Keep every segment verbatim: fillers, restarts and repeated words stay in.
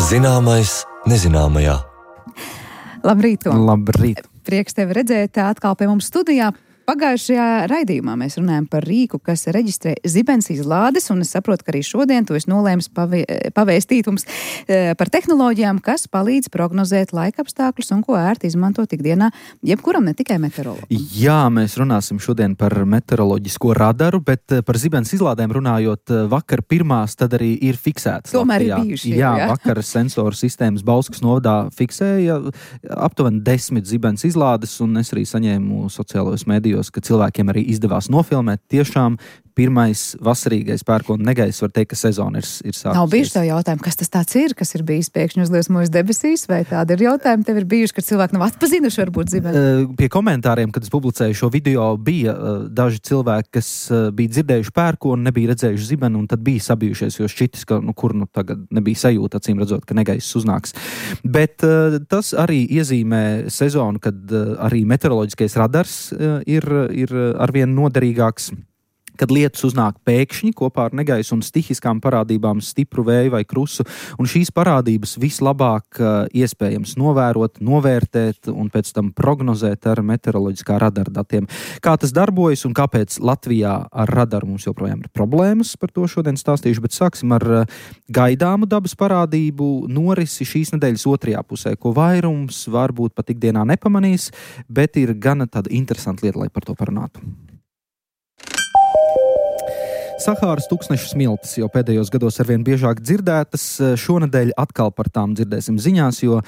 Zināmais nezināmajā. Labrīt, Tom. Labrīt. Prieks tevi redzēt atkal pie mums studijā. Pagājušajā raidījumā mēs runājam par rīku, kas reģistrē zibens izlādes, un es saprotu, ka arī šodien tu esi nolēmis pavie, pavēstīt mums e, par tehnoloģijām, kas palīdz prognozēt laikapstākļus un ko ērti izmantot ikdienā, jebkuram, ne tikai meteorologu. Jā, mēs runāsim šodien par meteoroloģisko radaru, bet par zibens izlādēm runājot, vakar pirmās tad arī ir fiksētas. Tomēr Latvijā. ir bijuši. Jā, jā. vakar sensoru sistēmas Bauskas novadā fiksēja aptuveni desmit zibens izlādes, un es arī saņēmu sociālajos medijos, ka cilvēkiem arī izdevās nofilmēt. Tiešām pirmais vasarīgais pērkona negaiss, var teikt, ka sezona ir, ir sākusies. Nav bijuši tev jautājumi, kas tas tāds ir, kas ir bijis pēkšņi uzliesmojis debesīs, vai tādi ir jautājumi tev ir bijuši, ka cilvēki nav atpazinuši varbūt zibeni? Pie komentāriem, kad es publicēju šo video, bija daži cilvēki, kas bija dzirdējuši pērkonu, nebija redzējuši zibeni, un tad bija sabijušies, jo šķitis, ka nu, kur nu tagad nebija sajūta, acīm redzot, ka negaiss uznāks. Bet tas arī iezīmē sezonu, kad arī meteoroloģiskais radars ir, ir arvien noderīgāks, kad lietus uznāk pēkšņi kopā ar negaisu un stihiskām parādībām, stipru vēju vai krusu, un šīs parādības vislabāk uh, iespējams novērot, novērtēt un pēc tam prognozēt ar meteoroloģiskā radara datiem. Kā tas darbojas un kāpēc Latvijā ar radaru mums joprojām ir problēmas, par to šodien stāstīšu, bet sāksim ar uh, gaidāmu dabas parādību norisi šīs nedēļas otrajā pusē, ko vairums varbūt pat ikdienā nepamanīs, bet ir gana tāda interesanta lieta, lai par to parunātu. Sahāras tuksnešu smiltis jau pēdējos gados arvien biežāk dzirdētas. Šonedēļ atkal par tām dzirdēsim ziņās, jo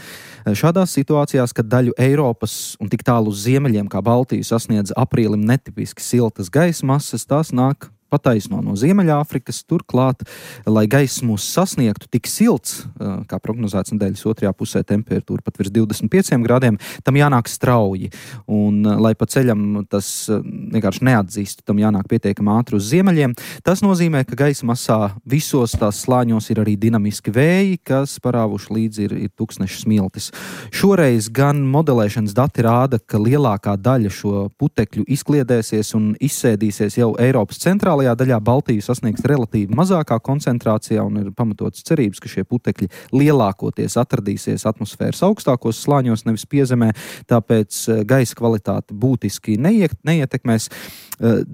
šādās situācijās, kad daļu Eiropas un tik tālu uz ziemeļiem kā Baltiju sasniedz aprīlim netipiski siltas gaisa masas, tās nāk pataisno no Ziemeļāfrikas. Turklāt, lai gaiss mūs sasniegtu tik silts, kā prognozēts nedēļas otrajā pusē temperatūra pat virs divdesmit pieciem grādiem, tam jānāk strauji. Un, lai pa ceļam tas vienkārši neatzīst, tam jānāk pietiekami ātri uz ziemeļiem. Tas nozīmē, ka gaisa masā visos tās slāņos ir arī dinamiski vēji, kas parāvuši līdzi ir, ir tuksnešu smiltis. Šoreiz gan modelēšanas dati rāda, ka lielākā daļa šo putekļu izkliedēsies un izsēdīsies jau Eiropas centrālajā daļā. Baltiju sasniegs relatīvi mazākā koncentrācijā un ir pamatotas cerības, ka šie putekļi lielākoties atradīsies atmosfēras augstākos slāņos, nevis piezemē, tāpēc gaisa kvalitāte būtiski neiet, neietekmēs.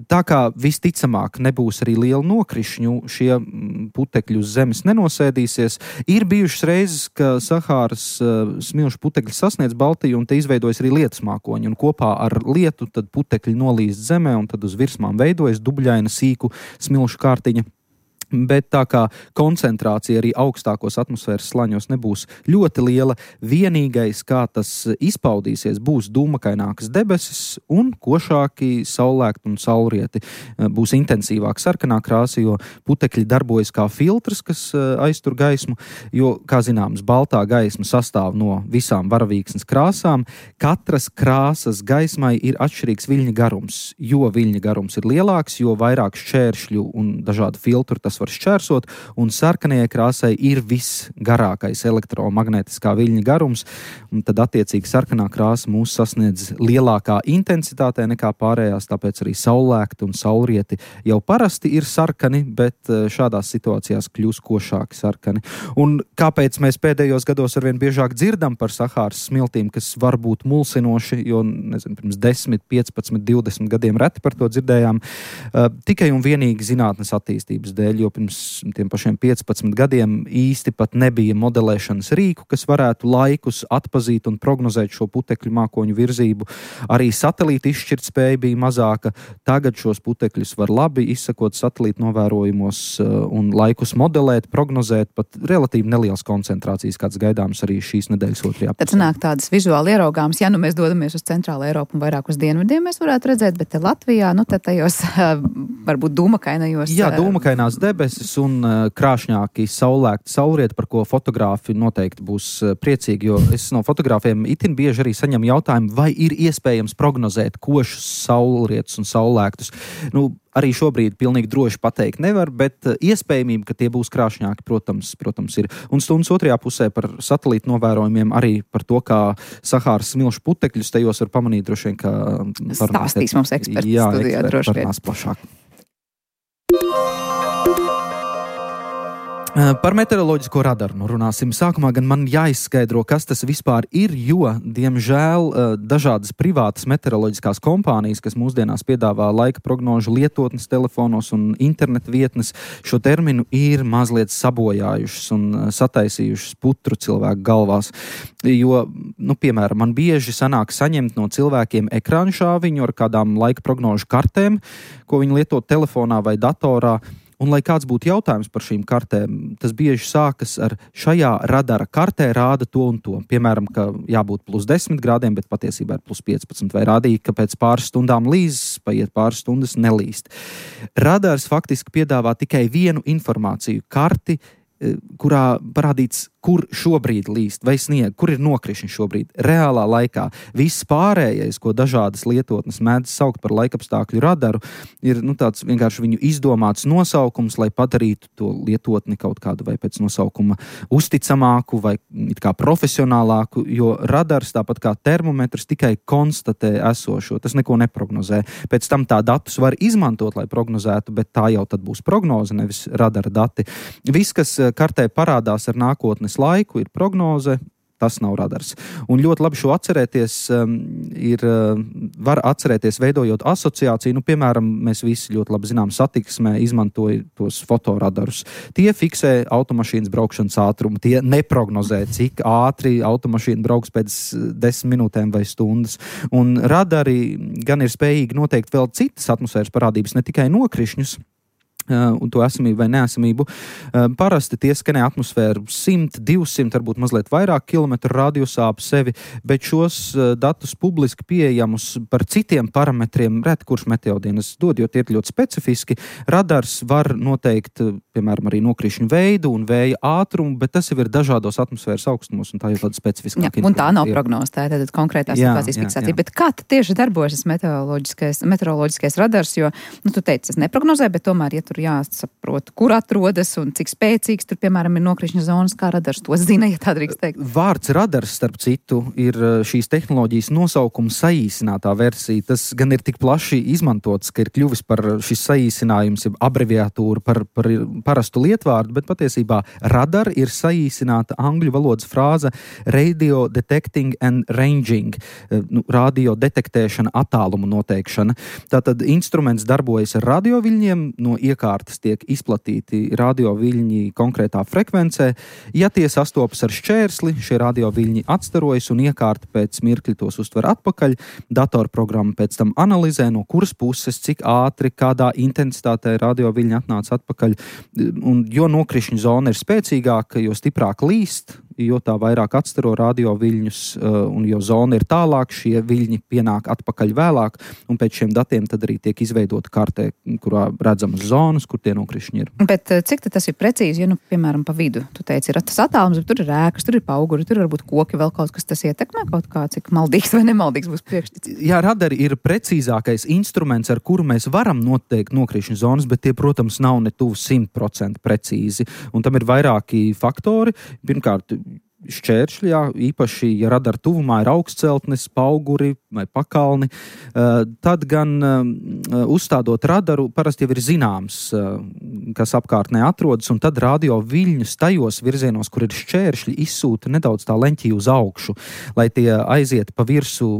Tā kā visticamāk nebūs arī liela nokrišņu, šie putekļi uz zemes nenosēdīsies. Ir bijušas reizes, ka Sahāras smilšu putekļi sasniedz Baltiju un te izveidojas arī lietus mākoņi, un kopā ar lietu tad putekļi nolīst zemē un tad uz virsmām veidojas dubļaina sīku smilšu kārtiņa. Bet tā kā koncentrācija arī augstākos atmosfēras slāņos nebūs ļoti liela, vienīgais, kā tas izpaudīsies, būs dūmakainākas debesis un košāki saulēkti un saulrieti. Būs intensīvāk sarkanā krāsa, jo putekļi darbojas kā filtrs, kas aiztur gaismu, jo, kā zināms, baltā gaisma sastāv no visām varavīksnes krāsām. Katras krāsas gaismai ir atšķirīgs viļņa garums. Jo viļņa garums ir lielāks, jo vairāk šķēršļu un dažādu filtru tas var šķērsot, un sarkanajai krāsai ir visgarākais elektromagnētiskā viļņa garums, un tad attiecīgi sarkanā krāsa mūs sasniedz lielākā intensitātē nekā pārējās, tāpēc arī saulēkti un saulrieti jau parasti ir sarkani, bet šādās situācijās kļūs košāki sarkani. Un kāpēc mēs pēdējos gados arvien biežāk dzirdam par Sahāras smiltīm, kas var būt mulsinoši, jo, nezinu, pirms desmit, piecpadsmit, divdesmit gadiem reti par to dzirdējām, uh, tikai un vienīgi zinātnes attīstības dēļ, jo pirms tiem pašiem piecpadsmit gadiem īsti pat nebija modelēšanas rīku, kas varētu laikus atpazīt un prognozēt šo putekļu mākoņu virzību. Arī satelīta izšķirtspēja bija mazāka. Tagad šos putekļus var labi izsakot satelīta novērojumos un laikus modelēt, prognozēt pat relatīvi nelielas koncentrācijas, kāds gaidāms arī šīs nedēļas otrajā pusē. Tad sanāk tādas vizuāli ieraugāmas, ja nu mēs dodamies uz centrālu Eiropu un vairāk uz dienvidiem, mēs varētu redzēt, bet te Latvijā, nu tad tajos varbūt dūmakainajos. Jā, dūmakainās debesis un uh, krāšņāki saulēkti saulrieti, par ko fotogrāfi noteikti būs uh, priecīgi, jo es no fotogrāfiem itin bieži arī saņemu jautājumu, vai ir iespējams prognozēt košus saulrietus un saulēktus. Nu, arī šobrīd pilnīgi droši pateikt nevar, bet uh, iespējamība, ka tie būs krāšņāki, protams, protams ir. Un stundas otrajā pusē par satelītu novērojumiem, arī par to, kā Sahāras smilšu putekļus tajos var pamanīt droši vien, ka stāstīs mums eksperti jā, studijā eksperti droši vien. plašāk. Par meteoroloģisko radaru nu runāsim. Sākumā gan man jāizskaidro, kas tas vispār ir, jo, diemžēl, dažādas privātas meteoroloģiskās kompānijas, kas mūsdienās piedāvā laika prognožu lietotnes telefonos un internetu vietnes, šo terminu ir mazliet sabojājušas un sataisījušas putru cilvēku galvās. Jo, nu, piemēram, man bieži sanāk saņemt no cilvēkiem ekrānu šāviņu ar kādām laika prognožu kartēm, ko viņi lieto telefonā vai datorā. Un, lai kāds būtu jautājums par šīm kartēm, tas bieži sākas ar šajā radara kartē rāda to un to. Piemēram, ka jābūt plus desmit grādiem, bet patiesībā ir plus piecpadsmit. Vai rādīja, ka pēc pāris stundām līzes, paiet pāris stundas nelīst. Radars faktiski piedāvā tikai vienu informāciju – karti, kurā parādīts, kur šobrīd līst vai snieg, kur ir nokrišņi šobrīd, reālā laikā. Viss pārējais, ko dažādas lietotnes mēdz saukt par laikapstākļu radaru, ir nu, tāds vienkārši viņu izdomāts nosaukums, lai padarītu to lietotni kaut kādu vai pēc nosaukuma uzticamāku vai it kā profesionālāku, jo radars, tāpat kā termometrs, tikai konstatē esošo. Tas neko neprognozē. Pēc tam tā datus var izmantot, lai prognozētu, bet tā jau tad būs prognoze, nevis radara dati. Viss, kas kartē parādās ar nākotnes laiku, ir prognoze, tas nav radars. Un ļoti labi šo atcerēties, um, ir, uh, var atcerēties veidojot asociāciju. Nu, piemēram, mēs visi ļoti labi zinām satiksmē izmantoja tos fotoradarus. Tie fiksē automašīnas braukšanas ātrumu, tie neprognozē, cik ātri automašīna brauks pēc desmit minūtēm vai stundas. Un radari gan ir spējīgi noteikt vēl citas atmosfēras parādības, ne tikai nokrišņus, un to esamību vai neesamību. Parasti tie skanē atmosfēru simt, divsimt, varbūt mazliet vairāk kilometru radiusā ap sevi, bet šos datus publiski pieejamus par citiem parametriem ret kurš meteodienas dod, jo tie ir ļoti specifiski. Radars var noteikt, piemēram, arī nokrišņu veidu un vēja ātrumu, bet tas jau ir dažādos atmosfēras augstumos, un tā jau tāda specifiskāka. Un tā nav prognoze, tā ir tāda konkrētā situācijas fiksācija. Bet kā tieši darbojas meteoroloģiskais, meteoroloģiskais radars, jo, nu, tu teici, tas neprognozē, bet tomēr, ja tur jāsaprot, kur atrodas un cik spēcīgs tur, piemēram, ir nokrišņa zonas, kā radars to zina, ja tā drīkst teikt. Vārds radars, starp citu, ir šīs tehnoloģijas nosaukuma saīsinātā versija. Tas gan ir tik plaši izmantots, ka ir kļuvis par šis saīsinājums, abreviatūra par, par parastu lietvārdu, bet patiesībā radar ir saīsināta angļu valodas frāze radio detecting and ranging, nu, radio detektēšana, attālumu noteikšana. Tātad instruments darbojas ar radioviļņiem, no iekārtas tiek izplatīti radioviļņi konkrētā frekvencē. Ja tie sastopas ar šķērsli, šie radioviļņi atstarojas un iekārta pēc mirkļa tos uztver atpakaļ. Datorprogramma pēc tam analizē, no kuras puses, cik ātri, kādā intensitātē radioviļņi atnāca atpakaļ. Un jo nokrišņu zona ir spēcīgāka, jo stiprāk līst, jo tā vairāk atstaro radioviļņus, un jo zona ir tālāk, šie viļņi pienāk atpakaļ vēlāk, un pēc šiem datiem tad arī tiek izveidota kartē, kurā redzamas zonas, kur tie nokrišņi ir. Bet cik tas ir precīzi, ja, nu, piemēram, pa vidu? Tu teici, ir tas attālums, bet tur ir ēkas, tur ir pauguri, tur varbūt koki, vēl kaut kas, tas ietekmē kaut kā, cik maldīgs vai nemaldīgs būs priekšstats. Jā, radari ir precīzākais instruments, ar kuru mēs varam noteikt nokrišņu zonas, bet tie, protams, nav ne tuvu simt procentu precīzi, un tam ir vairāki faktori. Pirmkārt, šķēršļi, jā, īpaši, ja radara tuvumā ir augstceltnes, pauguri vai pakalni, tad gan uzstādot radaru parasti jau ir zināms, kas apkārtnē atrodas, un tad radio viļņus tajos virzienos, kur ir šķēršļi, izsūta nedaudz tā leņķī uz augšu, lai tie aiziet pa virsu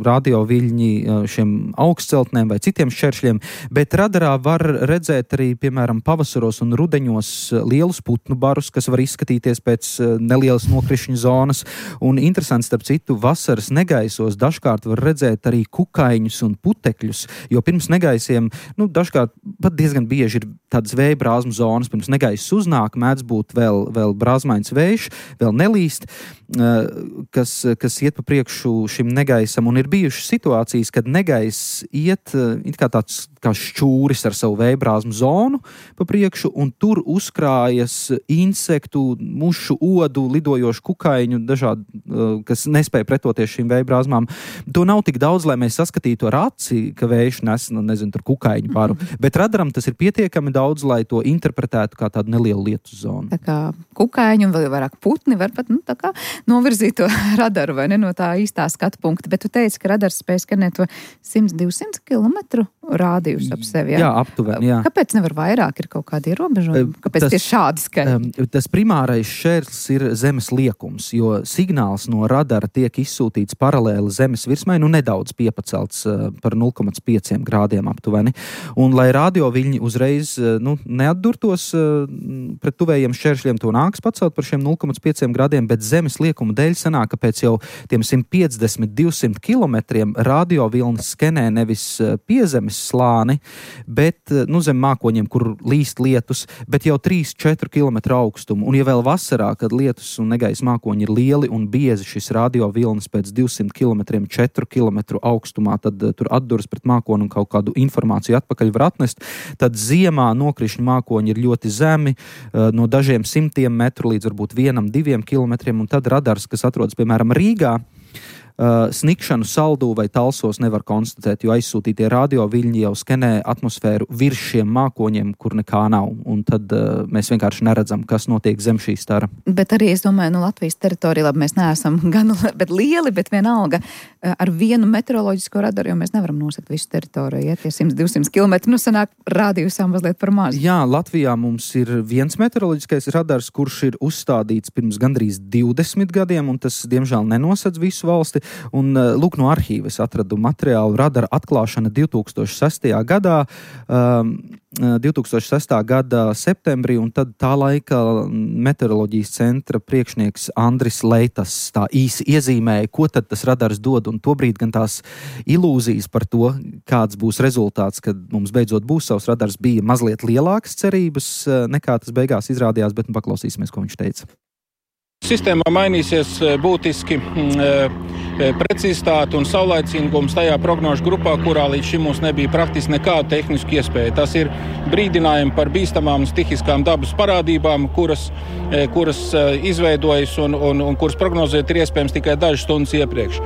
radio viļņi šiem augstceltnēm vai citiem šķēršļiem, bet radarā var redzēt arī, piemēram, pavasaros un rudeņos lielus putnu barus, kas var izskatīties pēc nelielas nokrišņu zonas, un interesanti, starp citu, vasaras negaisos dažkārt var redzēt arī kukaiņus un putekļus, jo pirms negaisiem, nu, dažkārt pat diezgan bieži ir tādas vēja brāzmu zonas, pirms negaiss uznāk, mēdz būt vēl, vēl brāzmains vējš, vēl nelīst, kas, kas iet pa priekšu šim negaisam, un ir bijušas situācijas, kad negaiss iet it kā tāds kā šķūris ar savu vējbrāzmu zonu pa priekšu, un tur uzkrājas insektu, mušu tukšu odu, lidojošu kukaiņu, dažādu, kas nespēja pretoties šīm vēja brāzmām. To nav tik daudz, lai mēs saskatītu ar aci, ka vējš nes, nu, nezinu, tur kukaiņu paru, bet radaram tas ir pietiekami daudz, lai to interpretētu kā tādu nelielu lietu zonu. Tā kā kukaiņu un vēl vairāk putni var pat, nu, tā kā novirzīt to radaru, vai ne, no tā īstā skatu punkta, bet tu teici, ka radars spēj skanēt to simt divsimt kilometru rādījus ap sevi, jā? Jā, aptuveni, jā. Kāpēc nevar vairāk, ir kaut kādi ierobežojumi? Kāpēc tas, tieši šādi skaļi? Tas primārais šķērslis ir zemes liekums, jo signāls no radara tiek izsūtīts paralēli zemes virsmai, nu nedaudz piepacelts par nulle komats pieci grādiem aptuveni. Un lai radioviļņi uzreiz nu, neatdurtos pret tuvējiem šķēršļiem, to nāks pacelt par šiem nulle komats pieci grādiem, bet zemes liekuma dēļ sanāk, ka pēc jau tiem simt piecdesmit līdz divsimt kilometriem radioviļņi skenē nevis piezemes slāni, bet nu, zem mākoņiem, kur līst lietus, bet jau trīs četri kilometru augstumu. Un ja vēl vasarā, kad lietus un negaisa mākoņi ir lieli un biezi, šis radiovilnis pēc divsimt kilometriem četru kilometru augstumā, tad uh, tur atduras pret mākoni un kaut kādu informāciju atpakaļ var atnest, tad ziemā nokrišņu mākoņi ir ļoti zemi, uh, no dažiem simtiem metru līdz varbūt vienam, diviem kilometriem, un tad radars, kas atrodas, piemēram, Rīgā, Uh, snikšanu Saldū vai Talsos nevar konstatēt, jo aizsūtītie radioviļņi jau skenē atmosfēru virs šiem mākoņiem, kur nekā nav. Un tad uh, mēs vienkārši neredzam, kas notiek zem šī stara. Bet arī, es domāju, nu Latvijas teritorija, labi, mēs neesam gan bet lieli, bet vienalga ar vienu meteoroloģisko radaru, jo mēs nevaram nosakt visu teritoriju, ja tie simt divsimt kilometri, nu sanāk rādījusām mazliet par maz. Jā, Latvijā mums ir viens meteoroloģiskais radars, kurš ir uzstādīts pirms gandrīz divdesmit gadiem, un tas, diemžēl, nenosedz visu valsti. Un, lūk, no arhīva es atradu materiālu radara atklāšana divtūkstoš sestajā gadā, um, divtūkstoš sestā gada septembrī, un tad tā laika meteoroloģijas centra priekšnieks Andris Leitas tā īsi iezīmēja, ko tad tas radars dod, un tobrīd gan tās ilūzijas par to, kāds būs rezultāts, kad mums beidzot būs savs radars, bija mazliet lielākas cerības, nekā tas beigās izrādījās, bet nu paklausīsimies, ko viņš teica. Sistēmā mainīsies būtiski precizitāte un saulaicīgums tajā prognožu grupā, kurā līdz šim mums nebija praktiski nekāda tehniska iespēja. Tas ir brīdinājumi par bīstamām stihiskām dabas parādībām, kuras, kuras izveidojas un, un, un kuras prognozēt ir iespējams tikai dažas stundas iepriekš.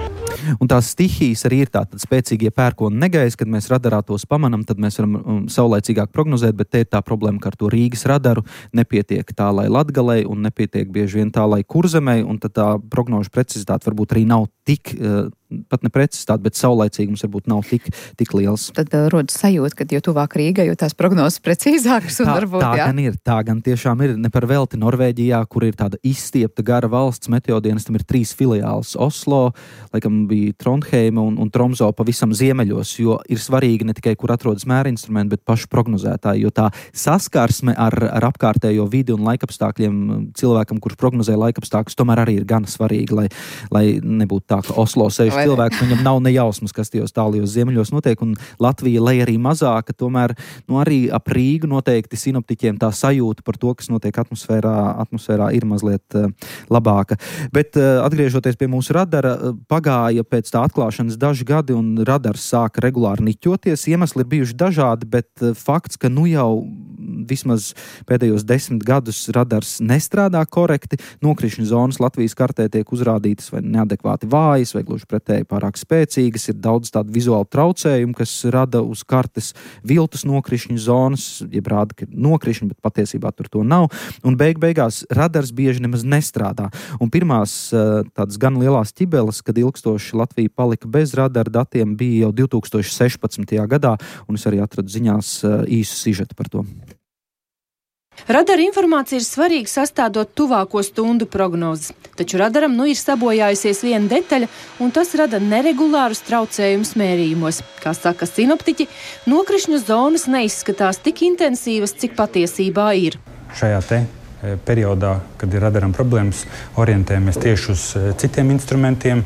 Un tās stihijas arī ir tātad spēcīgie pērkona negaisi, kad mēs radarā tos pamanam, tad mēs varam um, saulaicīgāk prognozēt, bet te ir tā problēma, ka ar to Rīgas radaru nepietiek tā, lai Latgalei, un nepietiek bieži vien tā, lai Kurzemei, un tad tā prognožu precizitāte varbūt arī nav tik, uh, pat ne precizitāte, bet saulaicīgums varbūt nav tik, tik liels. Tad uh, rodas sajūta, ka jo tuvāk Rīgai, jo tās prognozes precīzākas un tā, varbūt, tā jā. gan ir, tā gan tiešām ir, ne par velti Norvēģijā, kur ir tāda izstiepta gara valsts, meteodienestam ir trīs filiāls Oslo, laikam bija Trondheima un, un Tromso pavisam ziemeļos, jo ir svarīgi ne tikai, kur atrodas mērinstrumenti, bet paši prognozētāji, jo tā saskarsme ar, ar apkārtējo vidi un laikapstākļiem cilvēkam, kurš prognozē laikapstākļus, tomēr arī ir gan svarīgi, lai, lai nebūtu tā, ka Oslo sēž cilvēks, viņam nav nejausmas, kas tajos tālajos ziemeļos notiek, un Latvija, lai arī mazāka, tomēr nu, arī ap Rīgu noteikti sinoptiķiem tā sajūta par to, kas notiek atmosfērā, atmosfērā ir mazliet uh, labāka. Bet uh, atgriežoties pie mūsu radara, uh, pagāja pēc tā atklāšanas daži gadi, un radars sāka regulāri niķoties. Iemesli ir bijuši dažādi, bet uh, fakts, ka nu jau vismaz pēdējos desmit gadus radars nestrādā korekti, nokrišņu zonas Latvijas kartē tiek uzrādītas vai neadekvāti vājas, vai gluži pretēji pārāk spēcīgas, ir daudz tādu vizuālu traucējumu, kas rada uz kartes viltus nokrišņu zonas, jeb rāda, ka ir nokrišņi, bet patiesībā tur to nav, un beig beigās radars bieži nemaz nestrādā. Un pirmās tādas gan lielās ķibeles, kad ilgstoši Latvija palika bez radara datiem, bija jau divtūkstoš sešpadsmitajā gadā, un es arī atradu ziņās īsu sižetu par to. Radara informācija ir svarīga sastādot tuvāko stundu prognozes, taču radaram nu ir sabojājusies viena detaļa, un tas rada neregulārus traucējumus mērījumos. Kā saka sinoptiķi, nokrišņu zonas neizskatās tik intensīvas, cik patiesībā ir. Šajā te periodā, kad ir radaram problēmas, orientējamies tieši uz citiem instrumentiem,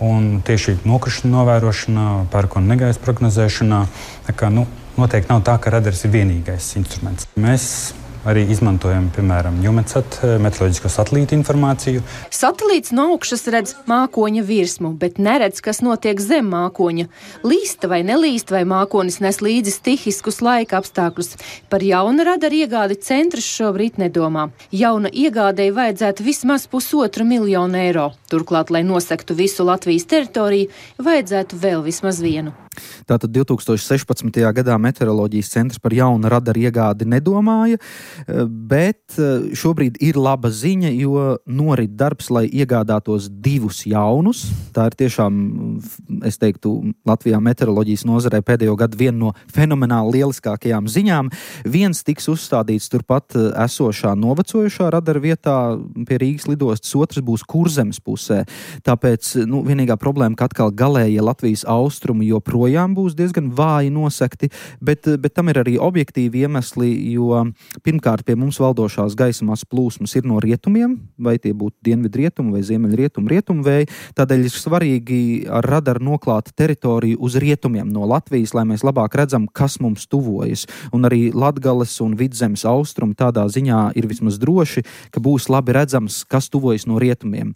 un tieši nokrišņu novērošanā, pērkona negaisa prognozēšanā, tā kā, nu, noteikti nav tā, ka radars ir vienīgais instruments. Mēs arī izmantojam, piemēram, Jumetsat meteoroloģisko satelītu informāciju. Satelīts no augšas redz mākoņa virsmu, bet neredz, kas notiek zem mākoņa. Līsta vai nelīst, vai mākonis nes līdzi stihiskus laika apstākļus. Par jauna radara iegādi centrs šobrīd nedomā. Jauna iegādēji vajadzētu vismaz pusotru miljonu eiro. Turklāt, lai nosektu visu Latvijas teritoriju, vajadzētu vēl vismaz vienu. Tātad divtūkstoš sešpadsmitajā gadā meteoroloģijas centrs par jaunu radaru iegādi nedomāja, bet šobrīd ir laba ziņa, jo norit darbs, lai iegādātos divus jaunus. Tā ir tiešām, es teiktu, Latvijā meteoroloģijas nozarē pēdējo gadu viena no fenomenāli lieliskākajām ziņām. Viens tiks uzstādīts turpat esošā novecojušā radara vietā pie Rīgas lidostas, otrs būs Kurzemes pusē. Tāpēc, nu, vienīgā problēma, ka atkal galējie Latvijas austrumi joprojām būs diezgan vāji nosekti, bet, bet tam ir arī objektīvi iemesli, jo pirmkārt pie mums valdošās gaisa masas plūsmas ir no rietumiem, vai tie būtu dienvidrietumu vai ziemeļrietumu rietumu vēji, tādēļ ir svarīgi ar radaru noklāt teritoriju uz rietumiem no Latvijas, lai mēs labāk redzam, kas mums tuvojas. Un arī Latgales un Vidzemes austrumi tādā ziņā ir vismaz droši, ka būs labi redzams, kas tuvojas no rietumiem.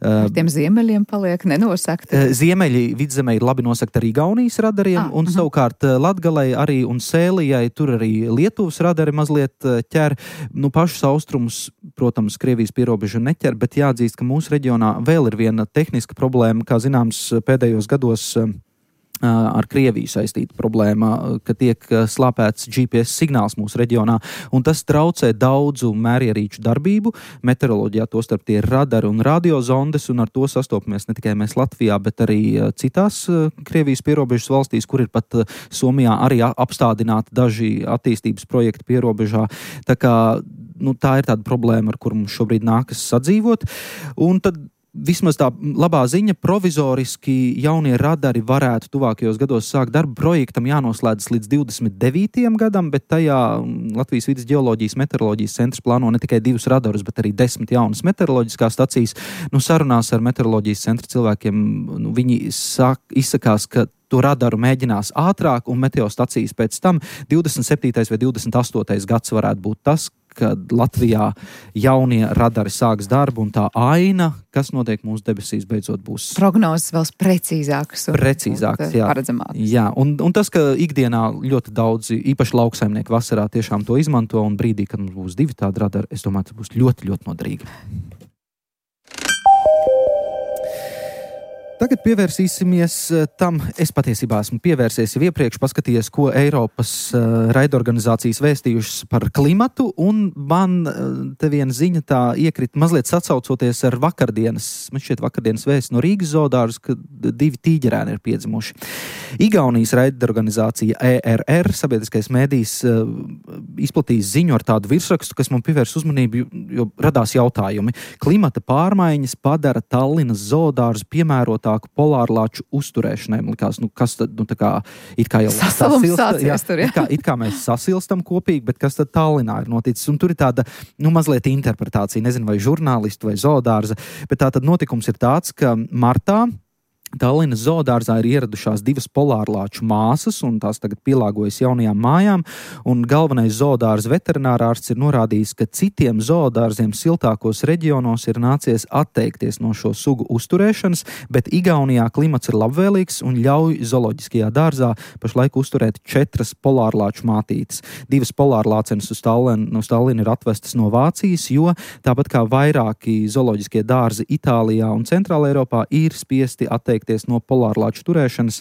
Ar tiem ziemeļiem paliek nenosakti. Ziemeļi Vidzemē ir labi nosakti arī Igaunijas radariem, ah, un uh-huh. savukārt Latgalei arī un Sēlijai tur arī Lietuvas radari mazliet ķer. Nu, pašus austrumus, protams, Krievijas pierobežu neķer, bet jāatzīst, ka mūsu reģionā vēl ir viena tehniska problēma, kā zināms pēdējos gados ar Krieviju saistīta problēma, ka tiek slāpēts G P S signāls mūsu reģionā, un tas traucē daudzu mērierīču darbību. Meteoroloģijā tostarp tie ir radari un radiozondes, un ar to sastopamies ne tikai mēs Latvijā, bet arī citās Krievijas pierobežas valstīs, kur ir pat Somijā arī apstādināti daži attīstības projekti pierobežā. Tā kā, nu, tā ir tāda problēma, ar kuru mums šobrīd nākas sadzīvot. Un tad vismaz tā labā ziņa, provizoriski jaunie radari varētu tuvākajos gados sākt darbu. Projektam jānoslēdzas līdz divdesmit devītajam gadam, bet tajā Latvijas vidas ģeoloģijas meteoroloģijas centrs plāno ne tikai divus radarus, bet arī desmit jaunas meteoroloģiskās stacijas. Nu, sarunās ar meteoroloģijas centra cilvēkiem, nu, viņi sāk, izsakās, ka to radaru mēģinās ātrāk, un meteostacijas pēc tam divdesmit septītais vai divdesmit astotais gads varētu būt tas, kad Latvijā jaunie radari sāks darbu, un tā aina, kas notiek mūsu debesīs, beidzot būs prognozes vēl precīzākas un, precīzākas, un jā. paredzamākas. Jā, un, un tas, ka ikdienā ļoti daudzi, īpaši lauksaimnieki vasarā tiešām to izmanto, un brīdī, kad mums būs divi tādi radari, es domāju, tas būs ļoti, ļoti noderīgi. Tagad pievērsīsimies tam, es patiesībā esmu pievērsies jau iepriekš, paskatījies, ko Eiropas uh, raidorganizācijas vēstījušas par klimatu, un man uh, te viena ziņa tā iekrita mazliet sacaucoties ar vakardienas, man šķiet vakardienas vēsts no Rīgas zoodārza, ka divi tīģerēni ir piedzimuši. Igaunijas raidorganizācija E R R, sabiedriskais mēdījis, uh, izplatījis ziņu ar tādu virsrakstu, kas man pievērs uzmanību, jo radās jautājumi. Klimata pārmaiņas padara Tallinas zoodārzu piemērot polārlāču uzturēšanai. Man likās, nu, kas tad, nu, tā kā, it kā jau sasilsta, jā, tur, jā. It, kā, it kā mēs sasilstam kopīgi, bet kas tad Tallinā ir noticis? Un tur ir tāda, nu, mazliet interpretācija, nezinu, vai žurnālistu vai zoodārza, bet tā tad notikums ir tāds, ka martā Tallinas zoodārzā ir ieradušās divas polārlāču māsas, un tās tagad pielāgojas jaunajām mājām, un galvenais zoodārza veterinārārsts ir norādījis, ka citiem zoodārziem siltākos reģionos ir nācies atteikties no šo sugu uzturēšanas, bet Igaunijā klimats ir labvēlīgs un ļauj zooloģiskajā dārzā pašlaik uzturēt četras polārlāču mātītes. Divas polārlācenes uz Tallinu, uz Tallinu ir atvestas no Vācijas, jo tāpat kā vairāki zooloģiskie dārzi Itālijā un Centrāla Eiropā ir spiesti atteikt no polārlāču turēšanas,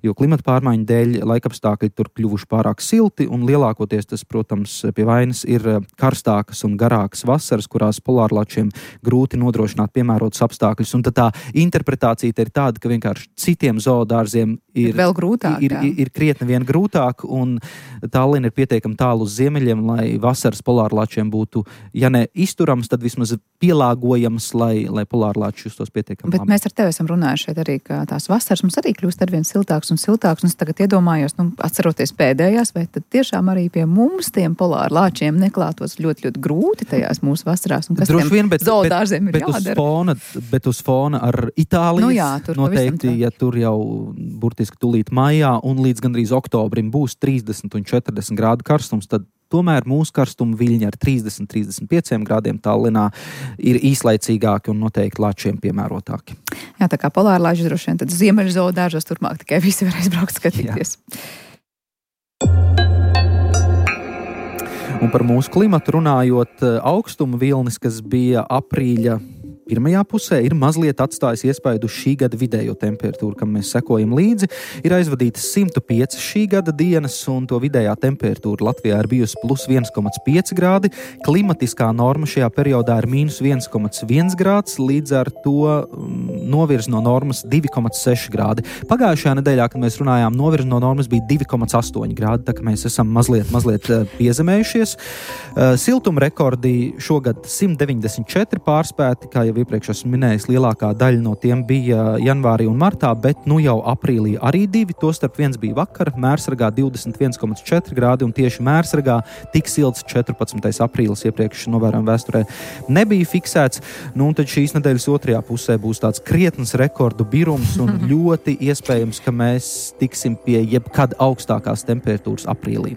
jo klimata pārmaiņu dēļ laikapstākļi tur kļuvuši pārāk silti, un lielākoties tas, protams, pie vainas ir karstākas un garākas vasaras, kurās polārlāčiem grūti nodrošināt piemērotus apstākļus. Un tad tā interpretācija ir tāda, ka vienkārši citiem zoodārziem ir, ir vēl grūtāk, ir, ir, ir krietni vien grūtāk, un Tallina ir pietiekami tālu uz ziemeļiem, lai vasaras polārlāčiem būtu, ja ne izturams, tad vismaz pielāgojams, lai, lai polārlāči justos pietiekami. Bet labi. Mēs ar tevi esam runājuši šeit arī, ka tās vasaras mums arī kļūst arvien siltāks un siltāks, un es tagad iedomājos, nu, atceroties pēdējās, vai tad tiešām arī pie mums tiem polārlāčiem neklātos ļoti, ļoti grūti tajās mūsu vasarās, un kas droši vien, bet, zoodārziem bet, ir bet jādara. Uz fona, bet uz fona ar Itālijas, nu jā, tur noteikti, ja tur jau burtiski tulīt maijā un līdz gandrīz oktobrim būs trīsdesmit un četrdesmit grādu karstums, tad tomēr mūsu karstuma viļņi ar trīsdesmit līdz trīsdesmit pieciem grādiem Tallinā ir īslaicīgāki un noteikti Latvijiem piemērotāki. Jā, tā kā polārlaiži droši vien, tad ziemeļzoodāžos turpmāk tikai visi varēs braukt skatīties. Jā. Un par mūsu klimatu runājot, augstuma vilnis, kas bija aprīļa pirmajā pusē, ir mazliet atstājis iespaidu šī gada vidējo temperatūru, kam mēs sekojam līdzi. Ir aizvadītas simt pieci šī gada dienas, un to vidējā temperatūra Latvijā ir bijusi plus viens komats pieci grādi. Klimatiskā norma šajā periodā ir mīnus viens komats viens grāds, līdz ar to novirz no normas divi komats seši grādi. Pagājušajā nedēļā, kad mēs runājām, novirz no normas bija divi komats astoņi grādi, tā ka mēs esam mazliet, mazliet piezemējušies. Siltuma rekordi šogad simt deviņdesmit četri pārspēti, kā jau iepriekš esmu minējis, lielākā daļa no tiem bija janvārī un martā, bet nu jau aprīlī arī divi, tostarp viens bija vakar, Mērsragā divdesmit viens komats četri grādi, un tieši Mērsragā tik silts četrpadsmitais aprīlis iepriekš novērojam vēsturē nebija fiksēts. Nu, un tad šīs nedēļas otrajā pusē būs tāds krietns rekordu birums, un ļoti iespējams, ka mēs tiksim pie jebkad augstākās temperatūras aprīlī.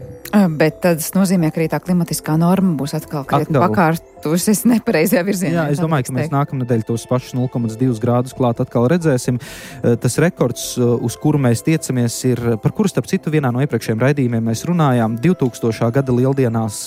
Bet tas nozīmē, ka arī tā klimatiskā norma būs atkal krietni pakārtusies nepareizajā virzienā. Jā, es domāju, ka mēs nākamnedēļ tos pašus nulle komats divi grādus klāt atkal redzēsim. Tas rekords, uz kuru mēs tiecamies, ir, par kuru starp citu vienā no iepriekšējiem raidījumiem mēs runājām, divtūkstošā gada lieldienās,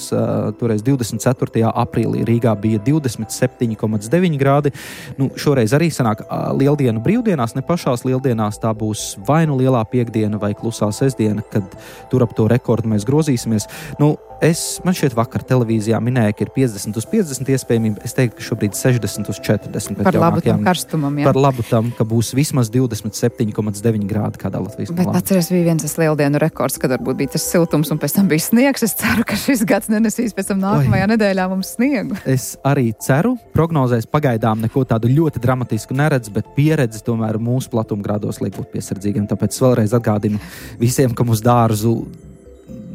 toreiz divdesmit ceturtajā aprīlī Rīgā bija divdesmit septiņi komats deviņi grādi. Nu, šoreiz arī sanāk lieldienu brīvdienās, ne pašās lieldienās, tā būs vai nu lielā piekdiena vai klusā sestdiena, kad tur ap to rekordu mēs grozīsimies. Nu, es, man šķiet vakar televīzijā minēja, ka ir piecdesmit uz piecdesmit iespējamība. Es teiktu, ka šobrīd sešdesmit uz četrdesmit. Par labu tam karstumam, jā. Par labu tam, ka būs vismaz divdesmit septiņi komats deviņi grādi kādā Latvijas malā. Bet atceries, bija viens tas lieldienu rekords, kad varbūt bija tas siltums un pēc tam bija sniegs. Es ceru, ka šis gads nenesīs pēc tam nākamajā Oi. nedēļā mums sniegu. Es arī ceru. Prognozēs pagaidām neko tādu ļoti dramatisku neredz, bet pieredzi tomēr mūsu platumgrādos liek būt piesardzīgiem. Tāpēc vēlreiz atgādinu visiem, ka mūsu dārzu,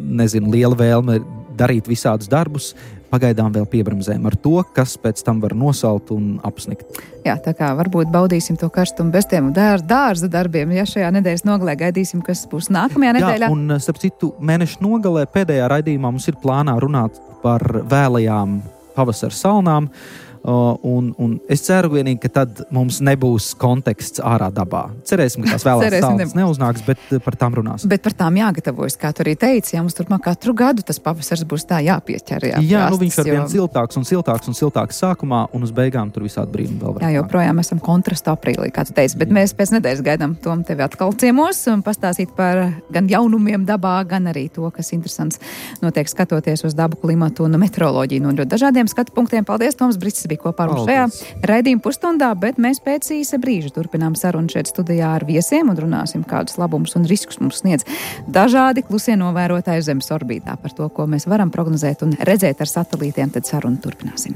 nezinu, liela vēlme darīt visādus darbus, pagaidām vēl piebramzējam ar to, kas pēc tam var nosalt un apsnikt. Jā, tā kā varbūt baudīsim to karstumu bez tiem dār, dārza darbiem, ja šajā nedēļas nogalē gaidīsim, kas būs nākamajā nedēļā. Jā, un starp citu, mēneša nogalē pēdējā raidījumā mums ir plānā runāt par vēlajām pavasara salnām. Uh, un, un es ceru vienīgi, ka tad mums nebūs konteksts ārā dabā. Cerēsim, ka tās vēlās salnas neuznāks, bet par tām runāsim. Bet par tām jāgatavojas, kā tu arī teici, ja mums turpmāk katru gadu tas pavasars būs tā jāpieķer. Jā, jā nu viņš var jo... vien siltāks un siltāks un siltāks sākumā, un uz beigām tur visādi brīnumi vēl var. Jā, joprojām esam kontrasta aprīlī, kā tu teici, bet jā. Mēs pēc nedēļas gaidām Tom tevi atkal ciemos un pastāstīt par gan jaunumiem dabā, gan arī to, kas interesants notiek skatoties uz dabu, klimatu un meteoroloģiju no ļoti dažādiem skatu punktiem. Paldies, Toms Brits bija kopā ar mums šajā raidījuma pusstundā, bet mēs pēc īsa brīža turpinām sarunu šeit studijā ar viesiem un runāsim, kādus labumus un riskus mums sniedz dažādi klusie novērotāji Zemes orbītā. Par to, ko mēs varam prognozēt un redzēt ar satelītiem, tad sarunu turpināsim.